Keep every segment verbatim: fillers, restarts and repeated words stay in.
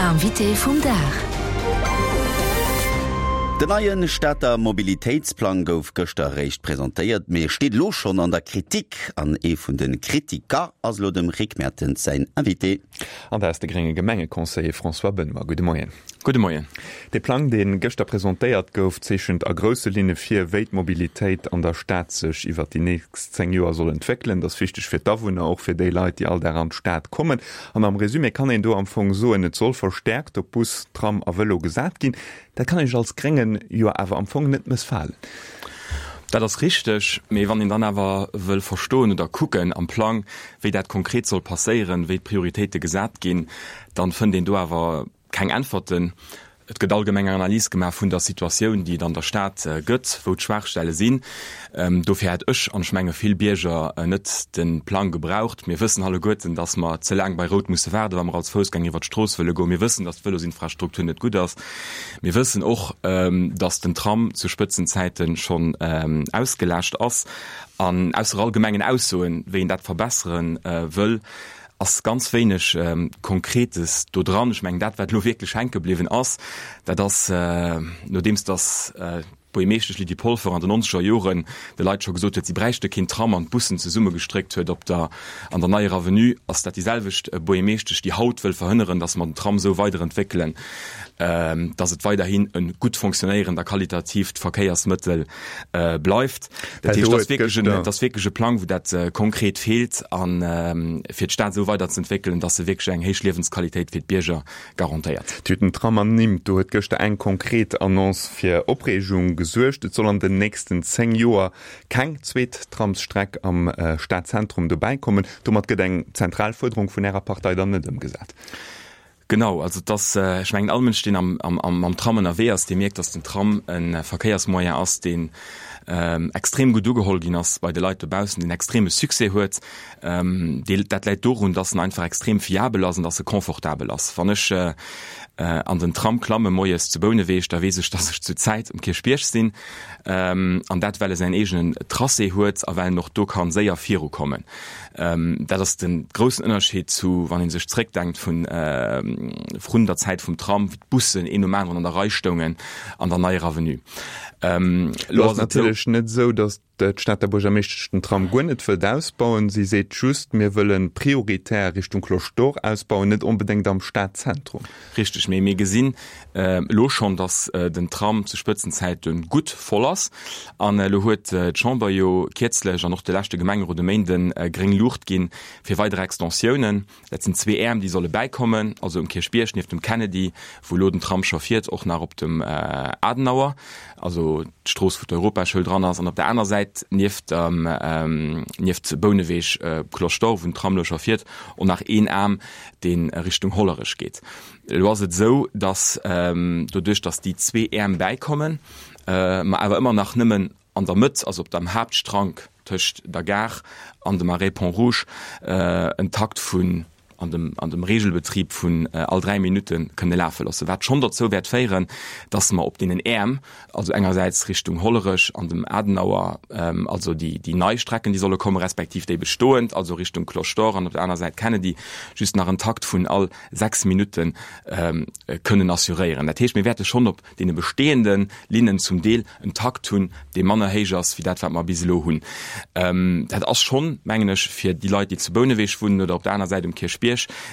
Invité vum Dag. Den neie Stater Mobilitéitsplang gouf gëschter eréischt presentéiert, mee steet elo schonn an der Kritik. An ee vun de Kritiker ass elo dem Rick Mertens säin Invité. An dat ass de grénge Gemengeconseiller François Benoy. Gudde Moien. Gudde Moien. Dee Plang, dee gëschter presentéiert gouf, zeechent a grousse Linne vir, wéi d'Mobilitéit an der Stad sech iwwer déi nächst zéng Joer soll entwéckelen. Dat ass wichteg fir d'Awunner, och fir déi Leit, déi all Dag an d'Stad kommen. An am Resumé kann een do am Fong soen, et soll verstäerkt op Bus, Tram a Vëlo gesat ginn. Dat kann Iech als Gréngen jo awer am Fong net mëssfalen. Dat ass richteg, mee wann een dann awer wëll verstoen oder kucken am Plang, wéi dat konkret soll passéieren, wéi d'Prioritéite gesat ginn, dann fënnt een do awer keng Äntwerten. Et gëtt allgemeng eng Analys gemaach vun der Situatioun, déi et an der Stad gëtt, wou d'Schwaachstelle sinn. Dofir hätt ech, an ech menge vill Bierger, net de Plang gebraucht. Mir wëssen alleguerten, datt mer ze laang bei Rout musse waarden, wa mer als Foussgänger iwwer d'Strooss wëlle goen. Mir wëssen, datt d'Vëlosinfrastruktur net gutt ass. Mir wëssen och, datt den Tram zu Spëtzenzäite schonn ausgelaascht ass. An ausser allgemengen Aussoen, wéi een dat verbessere wëll, ass ganz wéineg Konkretes do dran. Ech mengen, dat, wat elo wierklech hänke bliwwen ass, dat ass, nodeems datt d'Buergermeeschtesch Lydie Polfer an den nonzeger Joren de Leit scho gesot huet, si bräichte keen Tram an d'Bussen zesummegestréckt huet op der, an der Neier Avenue, ass dat déi selwecht Buergermeeschtesch, déi haut wëll verhënneren, datt mer den Tram esou weiderentwéckelen, datt et weiderhin e gutt fonctionnéierend a qualitatiivt Verkéiersmëttel bleift. Dat heescht, dat ass wierklech en, dat ass wierklech e Plang, wou dat konkret feelt a fir d'Stad esou weiderzeentwéckelen, datt se wierklech eng héich Liewensqualitéit fir d'Bierger garantéiert. Dir hutt den Tram ernimmt. Do huet gëschter eng konkret Annonce fir Opreegung gesuergt. Et soll an den nächsten zéng Joer keng zweet Tramsstreck am Stadzentrum dobäi kommen. Domat gëtt eng zentral Fuerderung vun Ärer Partei dann net ëmgesat. Genau, also et ass, ech mengen all Mënsch, deen am, am, am, mam Tram ënnerwee ass, dee mierkt, datt den Tram e Verkéiersmoyen ass, deen extrem gutt ugeholl ginn ass bei de Leit dobaussen, deen extreme Succès huet. Dee, dat läit dorun, datt en einfach extrem fiabel ass an datt e confortabel ass. Wann ech an den Tram klamme moies zu Bouneweg, da weess ech, datt ech zur Zäit um Kierchbierg sinn, an dat well e säin eegenen Tracé huet a well en och do ka séier virukommen. Dat ass de groussen Ënnerscheed zu, wann ee sech zréckdenkt vun vrun der Zäit vum Tram, wéi d'Bussen een nom aneren an der Rei stoungen an der Neier Avenue. Elo ass et natierlech net esou, datt d'Stater Buergermeeschtesch den Tram guer net wëllt ausbauen. Si seet just, mir wëlle prioritär Richtung Cloche d'Or ausbauen, net onbedéngt am Stadzentrum. Richteg, mee mir gesinn elo schonn, datt den Tram zu Spëtzenzäite gutt voll ass. An elo huet d'Chamber jo kierzlech an och de leschte Gemengerot e Méinden gréng Luucht ginn fir weider Extensiounen. Dat sinn zwee Äerm, déi solle bäikommen, also um Kierchbierg nieft dem Kennedy, wou elo den Tram scho fiert, och nach op dem Adenauer, also d'Strooss, wou d'Europaschoul dran ass, an op der aner Säit nieft nieft Bouneweg, Cloche d'Or, wou den Tram elo scho fiert, och nach een Aarm, dee Richtung Hollerech geet. Elo ass et esou, datt doduerch, datt déi zwee Äerm bäikommen, mer awer ëmmer nach nëmmen an der Mëtt, also op dem Haaptstrank tëscht der Gare an dem Arrêt Pont-Rouge, en Takt vun an dem, an dem Regelbetrib vun all dräi Minutte kënne lafe loossen, wat schonn dozou wäert féieren, dass mer op deenen Äerm, also engersäits Richtung Hollerech an dem Adenauer, also déi, déi nei Strecken, déi solle kommen, respektiv déi bestoend, also Richtung Cloche d'Or an op der aner Säit Kennedy, just nach en Takt vun all sechs Minutte kënnen assuréieren. Dat heescht, mir wäerte schonn op deene bestehende Linnen zum Deel en Takt hunn, dee manner héich ass wéi dat, wat mer bis elo hunn. Dat ass schonn, mengen ech, fir déi Leit, déi zu Bouneweg wunnen oder op der aner Säit um Kierchbierg,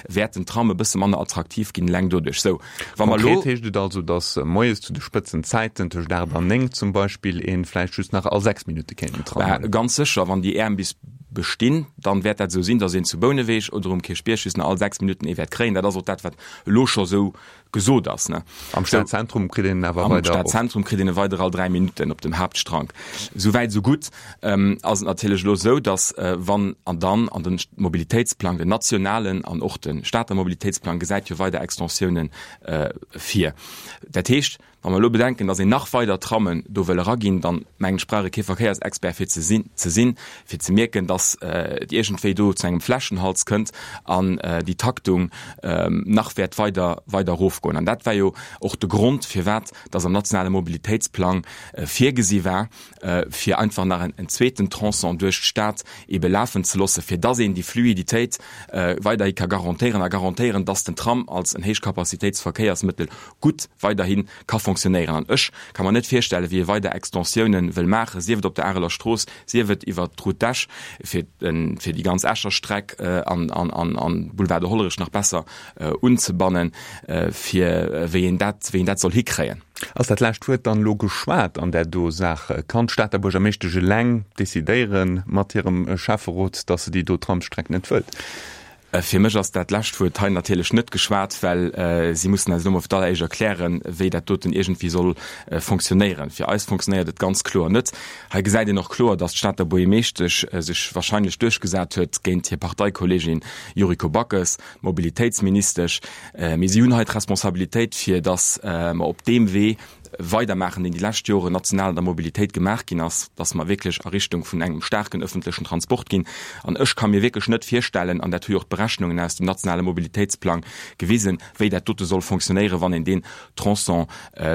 wäert den Tram e bësse manner attraktiv ginn, eleng doduerch. Sou, wa mer elo. Konkret heescht et also, datt moies zu de Spëtzenzäiten, tëscht aacht an néng zum Beispill, ee vläicht just nach all sechs Minutte kéint den Tram huelen. Ganz sécher, wann déi Äerm bis bestinn, dann wäert dat esou sinn, datt een zu Bouneweg oder um Kierchbierg just nach all sechs Minutten ee wäert kréien. Dat ass och dat, wat elo scho sou gesot ass. Ne? Am Stadzentrum kritt een en awer weider. Am Stadzentrum kritt een e weider all dräi Minutten op dem Haaptstrank. Sou wäit, sou gutt. Ähm, ass et natierlech elo esou, datt äh, wann an dann an den Mobilitéitsplang, den nationalen an och de Stater Mobilitéitsplang gesäit jo weider Extensiounen äh, vir. Dat heescht, Wa mer elo bedenken, datt een nach weider Trammen do wëll eraginn, dann, mengen ech, brauch ee kee Verkéiersexpert fir ze sinn, ze sinn, fir ze mierken, datt et iergendwéi do zu engem Fläschenhals kënnt an déi Taktung nach wäert weider, weider erofgoen. erofgoen. An dat war jo och de Grond, firwat dass am nationale Mobilitéitsplang virgesi war, fir einfach nach en zweeten Tronçon duerch d'Stad ebe lafen ze loossen, fir dass een déi Fluiditéit weiderhi ka garantéieren a garantéieren, dass den Tram als en Héichcapacitéitsverkéiersmëttel gutt weiderhi ka fonctionnéieren. An ech ka mer net virstellen, wéi ee weider Extensiounen wëll maachen, sief et op der Areler Strooss, sief et iwwert d'Route d'Esch, fir fir déi ganz Escher Streck an an Boulevard de Hollerich nach besser unzebannen, fir wéi een dat wéi een dat soll hikréien. Ass dat lescht Wuert dann elo geschwat an där do Saach? Kann d'Stater Buergermeeschtesch eleng decidéieren mat hirem Schäfferot, datt se déi do Tramsstreck net wëllt? Fir mech ass dat lescht Wuert hei natierlech net geschwat, well si mussen eis elo mol fir d'alleréischt erklären, wéi dat doten iergendwéi soll fonctionnéieren. Fir eis fonctionnéiert et ganz kloer net. Hei gesäit een och kloer, datt d'Stater Buergermeeschtesch sech wahrscheinlech duerchgesat huet géint hir Parteikolleegin Yuriko Backes, d'Mobilitéitsministesch. Mee si hunn hei d'Responsabilitéit, fir datt mer op deem Wee weidermaachen, deen déi lescht Joren national an der Mobilitéit gemaach ginn ass, dass mer wierklech a Richtung vun engem staarken öffentlechen Transport ginn. An ech ka mir wierklech net virstellen, an dat hu jo och d'Berechnungen aus dem nationale Mobilitéitsplang gewisen, wéi dat dote soll fonctionnéieren, wann een deen Tronçon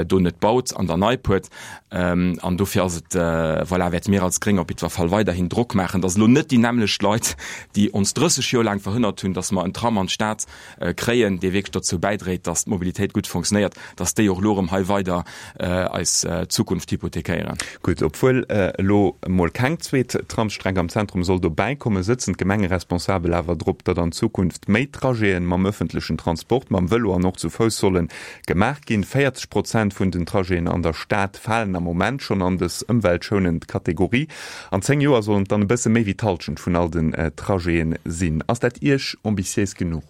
do net baut an der Neipuert. An dofir ass et, voilà, wäerte mir als Gréng op jiddwer Fall weiderhin Drock maachen, dass elo net déi nämmlecht Leit, déi ons drësseg Joer laang verhënnert hunn, dass mer en Tram an d'Stad kréien, dee wierklech dozou bäidréit, dass d'Mobilitéit gutt fonctionnéiert, dass déi och elo erëm hei weider eis Zukunft hypothekéieren. Gutt, obwuel elo emol keng zweet Tramsstreck am Zentrum soll dobäi kommen, sëtzen d'Gemengeresponsabel awer drop, datt an Zukunft méi Trajeten mam ëffentlechen Transport, mam Vëlo an och zu Fouss solle gemaach ginn. véierzeg Prozent vun den Trajeten an der Stad falen am Moment schonn an dës ëmweltschounend Kategorie. An zéng Joer sollen et dann e bësse méi wéi d'Hallschent vun all den Trajeten sinn. Ass dat Iech ambitiéis genuch?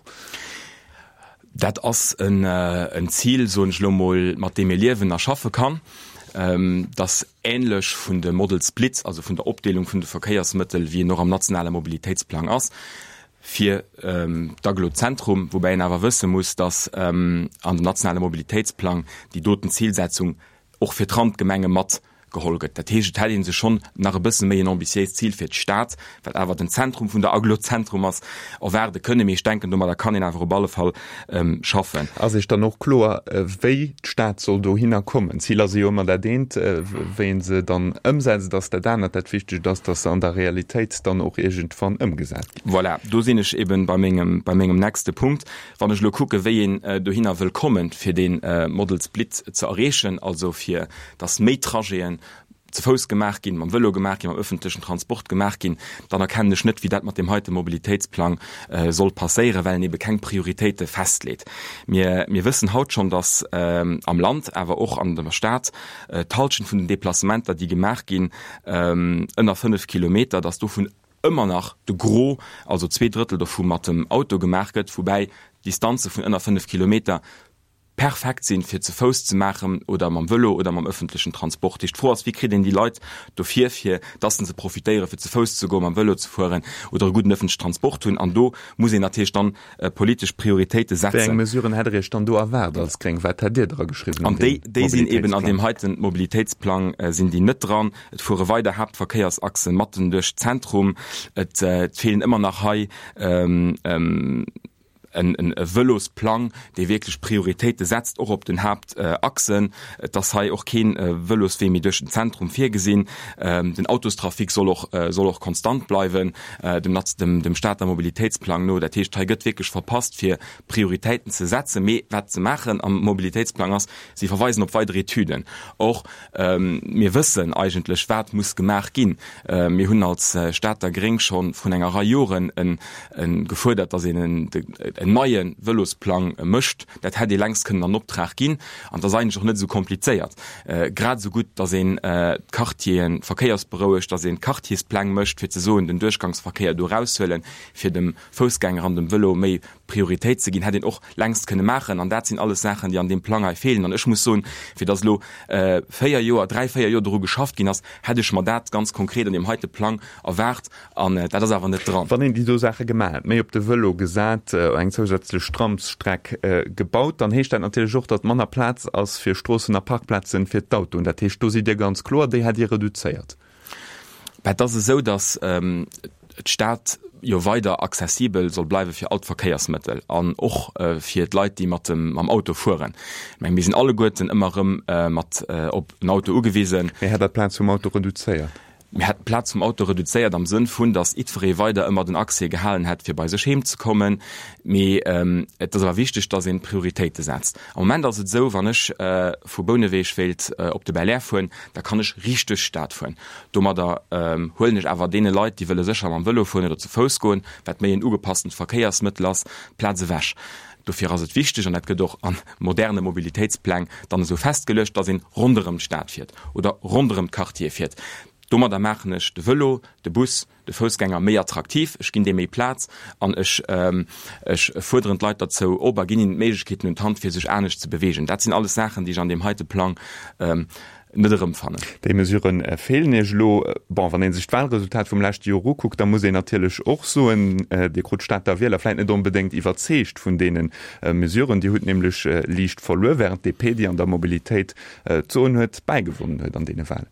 Dat ass en Zil, soen ech elo emol, mat deem ee liewen a schaffe kann. Dat ass änlech vun de Model Splits, also vun der Opdeelung vun de Verkéiersmëttel, wéi en och am nationale Mobilitéitsplang ass, fir d'Agglo Zentrum, woubäi een awer wësse muss, datt an dem nationale Mobilitéitsplang déi doten Zilsetzung och fir d'Randgemenge mat geholl gëtt. Dat heescht, et hätt ee sech schonn nach e bësse méi en ambitiéist Zil fir d'Stad, wat awer den Zentrum vun der Agglo Zentrum ass, erwaarde kënnen. Mee ech denken, domadder kann een awer op alle Fall schaffen. Ass Iech dann och kloer, wéi d'Stad soll dohinner kommen? D'Ziler si jo ëmmer dat eent, wéi ee se dann ëmsetzt, ass dat anert. Dat Wichtegt ass, datt se an der Realitéit dann och iergendwann ëmgesat ginn. Voilà, do sinn ech eeben bei mengem, bei mengem nächste Punkt. Wann ech elo kucke wéi een dohinner wëll kommen, fir dee Model Split ze erreechen, also fir datt méi Trajeten ze Fouss gemaach ginn, mam Vëlo gemaach ginn, mam öffentlechen Transport gemaach ginn, dann erkennen ech net, wéi dat mat deem heite Mobilitéitsplang soll passéieren, well en ebe keng Prioritéite festleet. Mir, mir wëssen haut schonn, datt am Land, awer och an der Stad, d'Halschent vun den Déplacementer, déi gemaach ginn, ënner fënnef Kilometer, datt dovun ëmmer nach de Gros, also zwee Drëttel dovu mat dem Auto gemaach gëtt, woubäi Distanze vun ënner fënnef Kilometer perfekt sinn, fir ze Fouss ze maachen oder mam Vëlo oder mam ëffentlechen Transport. Heescht, d'Fro ass, wéi kritt een déi Leit dofir, fir dass se profitéieren, fir ze Fouss ze goen, mam Vëlo ze fueren oder e gudden ëffentlechen Transport hunn. An do muss een natierlech dann politesch Prioritéite setzen. Wéi eng Mesuren hätt Der Iech dann do erwaart als Gréng? Wat hätt Dir dra geschriwwen an deem Mobilitéitsplang? An déi sinn eben an deem heiten Mobilitéitsplang sinn déi net dran. Et fuere weider Haaptverkéiersachse matten duerch d'Zentrum. Et feelen ëmmer nach hei e Vëlosplang, dee wierklech Prioritéite setzt, och op den Haaptachsen. Et ass hei och kee Vëloswee méi duerch den Zentrum virgesinn. Den Autostrafic soll och soll och konstant bleiwen, dem dem Stater Mobilitéitsplang no. Dat heescht, hei gëtt wierklech verpasst, fir Prioritéiten ze setzen. Mee wat se maachen am Mobilitéitsplang ass, si verweisen op weider Etüden. Or, mir wëssen eigentlech, wat muss gemaach ginn. Mir hunn als Stater Gréng scho vrun enger Rei Joren gefuerdert, datt een en neie Vëlosplang mécht. Dat hätt ee längst kënnen an Optrag ginn. An et ass eigentlech och net esou komplizéiert. Grad esou gutt, datt een d'Quartiere verkéiersberouegt, datt een Quartierspläng mécht, fir ze soen, den Duerchgangsverkéier do eraushuelen, fir dem Foussgänger an dem Vëlo méi Prioritéit ze ginn, hätt een och längst kënne maachen. An dat sinn alles Saachen, déi an deem Plang hei feelen. An ech muss soen, fir datt elo véier Joer, dräi, véier Joer doru geschafft ginn ass, hätt ech mer dat ganz konkret an deem heite Plang erwaart. An dat ass awer net dran. Wann een déi do Saache gemaach hätt, méi op de Vëlo gesat, eng zousätzlech Tramsstreck gebaut, dann heescht dat natierlech och, datt manner Plaz ass fir Stroossen a Parkplazen fir d'Autoen. Dat heescht, do sidd Dir ganz kloer, déi hätt Dir reduzéiert. Bah, et ass esou, datt d'Stad jo weider accessibel soll bleiwe fir all d'Verkéiersmëttel an och fir d'Leit, déi mat dem mam Auto fueren. Ech menge mir sinn alleguerten ëmmer erëm mat op en Auto ugewisen. Mee hätt Der d'Plaz vum Auto reduzéiert? Mir hätten d'Plaz vum Auto reduzéiert am Sënn vun, datt jiddweree weider ëmmer den Accès gehalen hätt, fir bei sech heem ze kommen. Mee et ass awer wichteg, datt een Prioritéite setzt. Am Moment ass et esou, wann ech vu Bouneweg wéilt op de Belair fueren, da kann ech riicht duerch d'Stad fueren. Domadder huelen ech awer deene Leit, déi wëlle sécher mam Vëlo fueren oder zu Fouss goen, wat méi en ugepasstent Verkéiersmëttel ass, d'Plaz ewech. Dofir ass et wichteg, an dat gëtt och a moderne Mobilitéitspläng dann esou festgeluecht, datt een ronderëm d'Stad fiert oder ronderëm d'Quartiere fiert. Domadder maachen ech de Vëlo, de Bus, de Foussgänger méi attraktiv, ech ginn deem méi Plaz an ech ech fuerderen d'Leit derzou op a ginn hinnen d'Méiglechkeeten un d'Hand, fir sech anescht ze beweegen. Dat sinn alles Saachen, déi ech an deem heite Plang net erëmfannen. Déi Mesurë feelen Iech elo. Bon, wann ee sech d'Wahlresultat vum leschte Joer ukuckt, da muss een natierlech och soen, Dir krut d'Stater Wieler vläicht net onbedéngt iwwerzeegt vun deene Mesuren. Dir hutt nämlech liicht verluer, während d'DP, déi an der Mobilitéit d'Soen huet, bäigewonnen huet an deene Wahlen.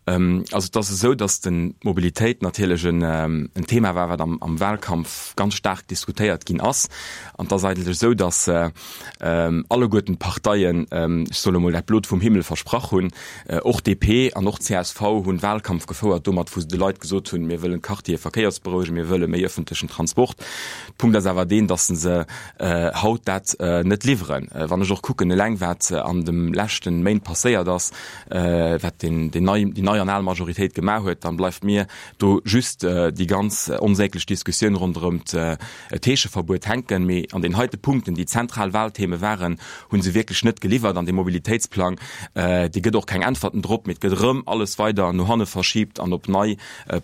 Also et ass esou, datt d'Mobilitéit natierlech en Thema war, wat am Wahlkampf ganz staark diskutéiert ginn ass. An et ass eigentlech esou, datt alleguerten d'Parteien, ech soe lo mol, dat Blot vum Himmel versprach hunn. Och D P an och C S V hunn Wahlkampf gefouert domat, wou se de Leit gesot hunn, mir wëllen d'Quartiere verkéiersberouegen, mir wëlle méi ëffentlechen Transport. De Punkt ass awer deen, datt se haut dat net liwweren. Wann ech och kucken eleng, wat an de leschte Méint passéiert ass, wat déi nei an al Majoritéit gemaach huet, dann bleift mir do just déi ganz onsäglech Diskussioun ronderëm d'Heescheverbuet hänken. Mee an den heite Punkten, déi zentral Wahltheme waren, hu se wierklech net geliwwert. An dee Mobilitéitsplang, dee gëtt och keng Äntwerten drop, mee et gëtt erëm alles weider no hanne verschibt an op nei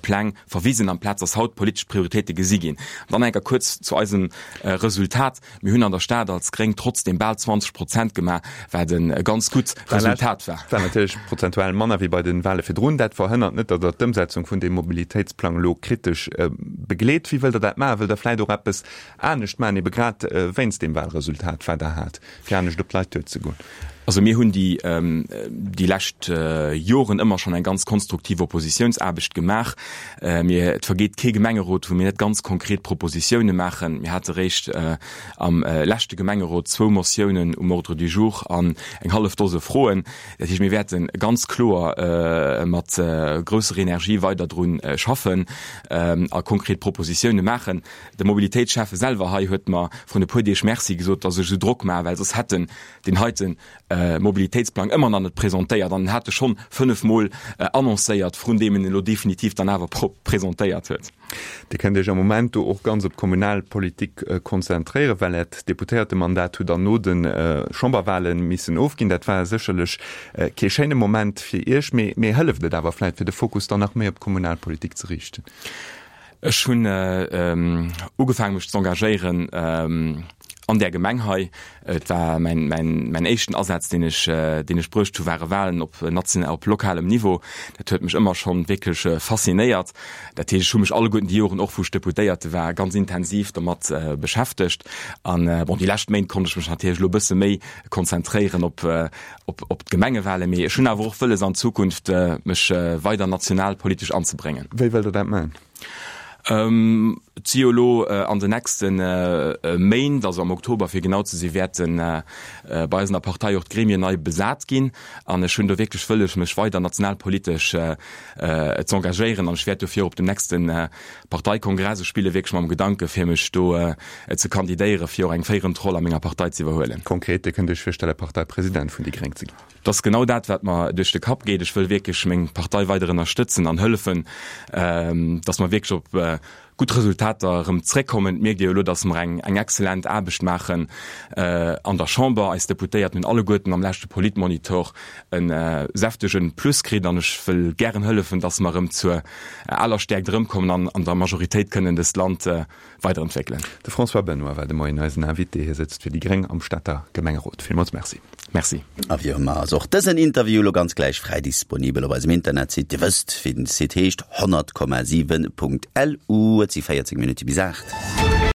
Pläng verwisen, amplaz dass haut politesch Prioritéite gesi ginn. Dann eng Kéier kuerz zu eisem Resultat. Mir hunn an der Stad als Gréng trotzdeem bal zwanzeg Prozent gemaach, wat e ganz gutt Resultat war. War natierlech prozentual manner wéi bei de Wahle virdrun. Dat verhënnert net, datt Der d'Ëmsetzung vun deem Mobilitéitsplang elo kritesch begleet. Wéi wëllt Der dat maachen? Wëllt Der vläicht och eppes anescht maachen, ebe grad wéinst deem Wahlresultat, wat Der hat, fir anescht op d'Leit duerzegoen? Also mir hunn déi déi lescht Joren ëmmer schonn eng ganz konstruktiv Oppositiounsaarbecht gemaach. Mir, et vergeet kee Gemengerot, wou mir net ganz konkret Propositioune maachen. Mir hate réischt am leschte Gemengerot zwou Motiounen um Ordre du jour an eng hallef Dose Froen. Dat heescht, mir wäerte ganz kloer mat grousser Energie weider dru schaffen a konkret Propositioune maachen. De Mobilitéitsschäffe selwer hei huet mer vrun e puer Deeg Merci gesot, datt ech esou Drock maachen, well soss hätt en deen heite Mobilitéitsplang ëmmer nach net presentéiert an en hat e schonn fënnef Mol annoncéiert, vrun deem en elo definitiv dann awer presentéiert huet. Dir kënnt Iech am Moment do och ganz op d'Kommunalpolitik konzentréieren, well Äert Deputéiertemandat hutt Der no de Chamberwale missen ofginn. Dat war sécherlech kee schéine Moment fir Iech, mee mee hëlleft et awer vläicht, fir de Fokus dann nach méi op d'Kommunalpolitik ze riichten? Ech hunn ugefaangen, mech z'engagéieren an där Gemeng hei. Et war mäin, mäin, mäin éischten Asaz, deen ech, deen ech bruecht hu ware Wahlen op national, op lokalem Niveau. Dat huet mech ëmmer schonn wierklech faszinéiert. Dat heescht, ech hu mech alleguerten déi Joren, och wou ech Deputéierte war, ganz intensiv domat beschäftegt. An bon, déi lescht Méint konnt ech mech natierlech elo e bësse méi konzentréieren op, op, op d'Gemengewahlen. Mee ech hunn awer och wëlles an Zukunft mech weider nationalpolitesch anzebréngen. Wéi wëllt Der dat maachen? Et si jo elo an den nächste Méint, also am Oktober fir genau ze sinn, wäerte bei eis an der Partei och d'Gremien nei besat ginn. An ech hunn do wierklech wëlles, mech weider nationalpolitesch z'engagéieren. An ech wäert dofir op dem nächste Parteikongress, ech spille wierklech mam Gedanke fir mech do ze kandidéieren, fir och eng féierend Roll a menger Partei z'iwwerhuelen. Konkret, Dir kënnt Iech virstelle Parteipresident vun déi Gréng ze ginn? Et ass genau dat, wat mer duerch de Kapp geet. Ech wëll wierklech meng Partei weider ënnerstëtzen an hëllefen, dass mer wierklech op gutt Resultater erëm zréckkommen. Et mierkt ee jo elo, dass mer eng eng exzellent Aarbecht maachen an der Chamber. Eis Deputéierten hunn alleguerten am leschte Politmonitor e säftege Plus kritt an ech wëll gären hëllefen, dass mer erëm zur aler Stäerkt erëmkommen an an der Majoritéit kënnen dëst Land weiderentwéckelen. De François Benoy war de Moien eisen Invité. Hie sëtzt fir déi gréng am Stater Gemengerot. Villmools Merci. Merci. A wéi ëmmer ass och dësen Interview elo ganz gläich fräi disponibel op eisem Internetsite. Dir wësst, wéi den Site heescht, honnert Komma siwen Punkt L U. Et si véierzéng Minutte bis aacht.